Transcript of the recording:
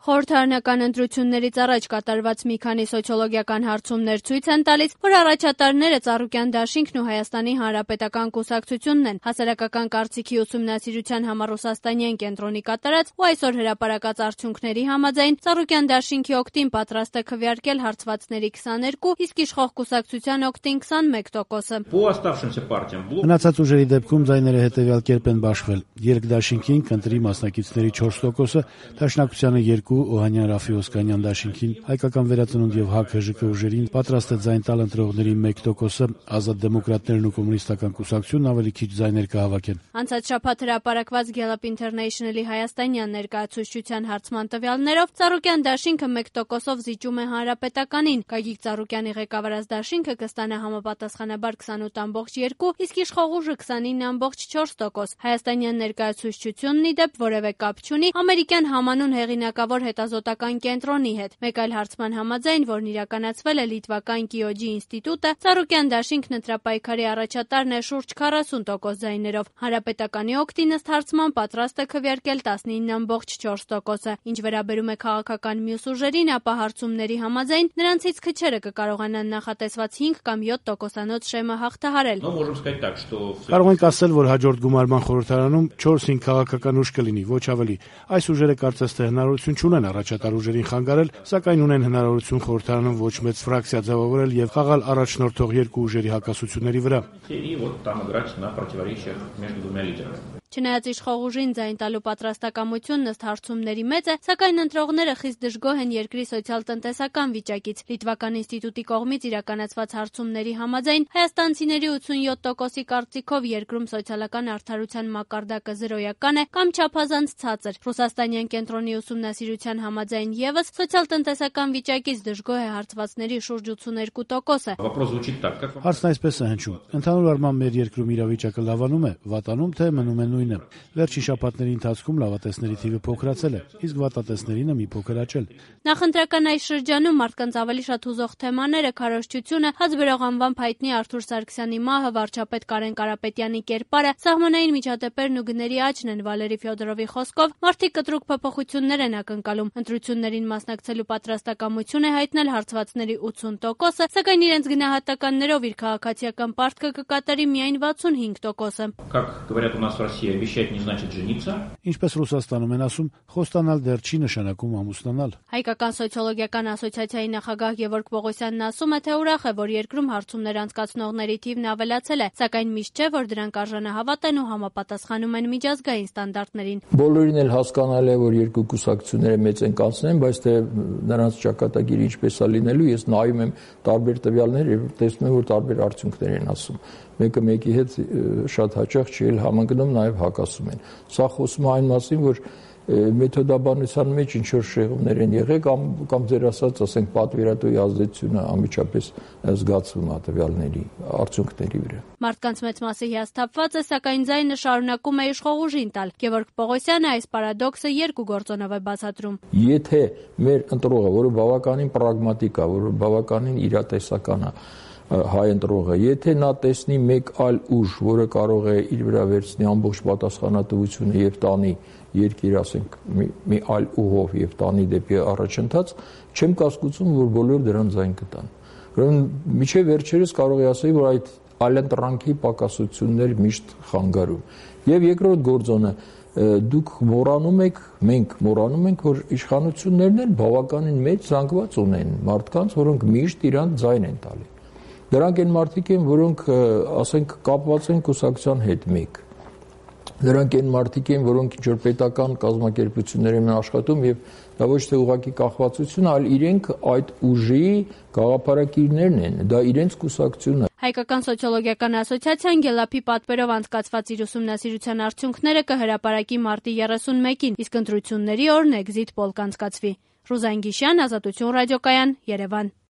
Խորհրդարանական ընտրություններից առաջ կատարված մի քանի սոցիոլոգիական հարցումներ ցույց են տալիս, որ առաջատարները Ծառուկյան դաշինքն ու Հայաստանի Հանրապետական կուսակցությունն են։ Հասարակական կարծիքի ուսումնասիրության համառուսաստանյան կենտրոնի կատարած ու այսօր հրապարակած արդյունքների համաձայն Ծառուկյան դաշինքի օգտին պատրաստ է քվեարկել հարցվածների 22, իսկ իշխող կուսակցության օգտին 21%-ը։ Մնացած ուժերի դեպքում ձայները հետևյալ կերպ են բաշխվել. Երկդաշինքին կընտրի մասնակիցների 4%-ը, Դաշնակցությանը 2%, Օհանյան Ռաֆի Օսկանյան դաշինքին, Հայկական վերածնունդ եւ ՀԱԿ ՀԺԿ ուժերին պատրաստ է ձայն տալ ընտրողների 1%-ը, Ազատ դեմոկրատներն ու Կոմունիստական կուսակցությունն ավելի քիչ ձայներ կհավաքեն։ Անցած շաբաթ հրապարակված Gallup International-ի հայաստանյան ներկայացուցչության հարցման տվյալներով Ծառուկյան դաշինքը 1%-ով զիջում է Հանրապետականին, Գագիկ Ծառուկյանի ղեկավարած դաշինքը կստանա համապատասխանաբար 28.2, իսկ իշխող ուժը 29.4%։ Հայաստանյան ներկայացուցչությունն ի դեպ որևէ կապ չունի ամերիկյան համանուն հեղինակավոր հետազոտական կենտրոնի հետ։ Մեկ այլ հարցման համաձայն, որն իրականացվել է լիտվական Կիոջի ինստիտուտը, Ծառուկյան դաշինքն ընտրապայքարի առաջատարն է շուրջ 40% ձայներով։ Հանրապետականի օգտին ըստ հարցման պատրաստ է քվեարկել 19.4%-ը։ Ինչ վերաբերում է քաղաքական մյուս ուժերին, ապա հարցումների համաձայն նրանցից քչերը կկարողանան նախատեսված 5 կամ 7%-անոց շեմը հաղթահարել։ Կարող ենք ասել, որ հաջորդ գումարման խորհրդարանում 4-5 քաղաքական ուժ կլինի, ոչ ավելի։ Այս ուժերը կարծես թե հնարավորություն չունեն առաջատար ուժերին խանգարել, սակայն ունեն հնարավորություն խորհրդարանում ոչ մեծ ֆրակցիա ձևավորել եւ խաղալ առաջնորդող երկու ուժերի հակասությունների վրա։ Չնայած իշխող ուժին ձայն տալու պատրաստակամությունն ըստ հարցումների մեծ է, սակայն ընտրողները խիստ դժգոհ են երկրի սոցիալ-տնտեսական վիճակից։ Լիտվական ինստիտուտի կողմից իրականացված հարցումների համաձայն հայաստանցիների 87%-ի կարծիքով երկրում սոցիալական արդարության մակարդակը զրոյական է կամ չափազանց ցածր։ Ռուսաստանյան կենտրոնի ուսումնասիրության համաձայն եւս սոցիալ-տնտեսական վիճակից դժգոհ է հարցվածների շուրջ 82%-ը։ Հարցն այսպես է հնչում. ընդհանուր առմամբ մեր երկրում իրավիճակը լավանում է, վատանում թե մնում է նույնը։ Վերջին շաբաթների ընթացքում լավատեսների թիվը փոքրացել է, իսկ վատատեսներինը մի փոքր աճել։ Նախընտրական այս շրջանում մարդկանց ավելի շատ հուզող թեմաները քարոզչությունը, հացբերող անվամբ հայտնի Արթուր Սարգսյանի մահը, վարչապետ Կարեն Կարապետյանի կերպարը, սահմանային միջադեպերն ու գների աճն են։ Վալերի Ֆյոդորովի խոսքով մարդիկ կտրուկ փոփոխություններ են ակնկալում։ Ընտրություններին մասնակցելու պատրաստակամություն է հայտնել հարցվածների 80%-ը, սակայն իրենց գնահատականներով իր քաղաքացիական պարտքը կկատարի միայն 65%-ը։ Ինչպես Ռուսաստանում են ասում, խոստանալ դեռ չի նշանակում ամուսնանալ։ Հայկական սոցիոլոգիական ասոցիացիայի նախագահ Գևորգ Պողոսյանն ասում է, թե ուրախ է, որ երկրում հարցումներ անցկացնողների թիվն ավելացել է, սակայն միշտ չէ, որ դրանք արժանահավատ են ու համապատասխանում են միջազգային ստանդարտներին։ Բոլորին էլ հասկանալի է, որ երկու կուսակցությունները մեծ են կանցնեն, բայց թե նրանց ճակատագիրը ինչպես է լինելու, ես նայում եմ տարբեր տվյալներ եւ տեսնում եմ, որ տարբեր արդյունքներ են ասում։ Մեկը մեկի հետ շատ հաճախ չի էլ համընկնում, նաև հակասում են։ Սա խոսում է այն մասին, որ մեթոդաբանության մեջ ինչ-որ շեղումներ են եղել կամ ձեր ասենք պատվիրատուի ազդեցությունը անմիջապես զգացվում է տվյալների արդյունքների վրա։ Մարդկանց մեծ մասը հիասթափված է, սակայն ձայնը շարունակում է իշխող ուժին տալ։ Գևորգ Պողոսյանը այս պարադոքսը երկու գործոնով է բացատրում։ Եթե մեր ընտրողը, որը բավականին պրագմատիկ է, որը բավականին իրատեսական է, հայ ընտրողը, եթե նա տեսնի մեկ այլ ուժ, որը կարող է իր վրա վերցնի ամբողջ պատասխանատվությունը եւ տանի երկիր, ասենք, մի այլ ուղով եւ տանի դեպի առաջընթաց, չեմ կասկածում, որ բոլորը դրան ձայն կտան։ Ուրեմն միջև վերջերս կարող է ասել, որ այդ այլընտրանքի պակասություններ միշտ խանգարում։ Եվ երկրորդ գործոնը, դուք մենք մոռանում ենք, որ իշխանություններն էլ բավականին մեծ զանգված ունեն մարդկանց, որոնք միշտ իրան ձայն են տալի։ Դրանք են մարդիկ են, որոնք, ասենք, կապված են կուսակցության հետ մեկ։ Դրանք են մարդիկ են, որոնք ինչ-որ պետական կազմակերպություններ են աշխատում եւ դա ոչ թե ուղղակի կախվածություն, այլ իրենք այդ ուժի գաղափարակիրներն են, դա իրենց կուսակցությունն է։ Հայկական սոցիոլոգիական ասոցիացիան Գելափի պատվերով անցկացված իր ուսումնասիրության արդյունքները կհրապարակի մարտի 31-ին, իսկ ընտրությունների օրն էքզիթ պոլ կանցկացվի։ Ռուզան Գիշյան, Ազատություն ռադիոկայան, Երևան։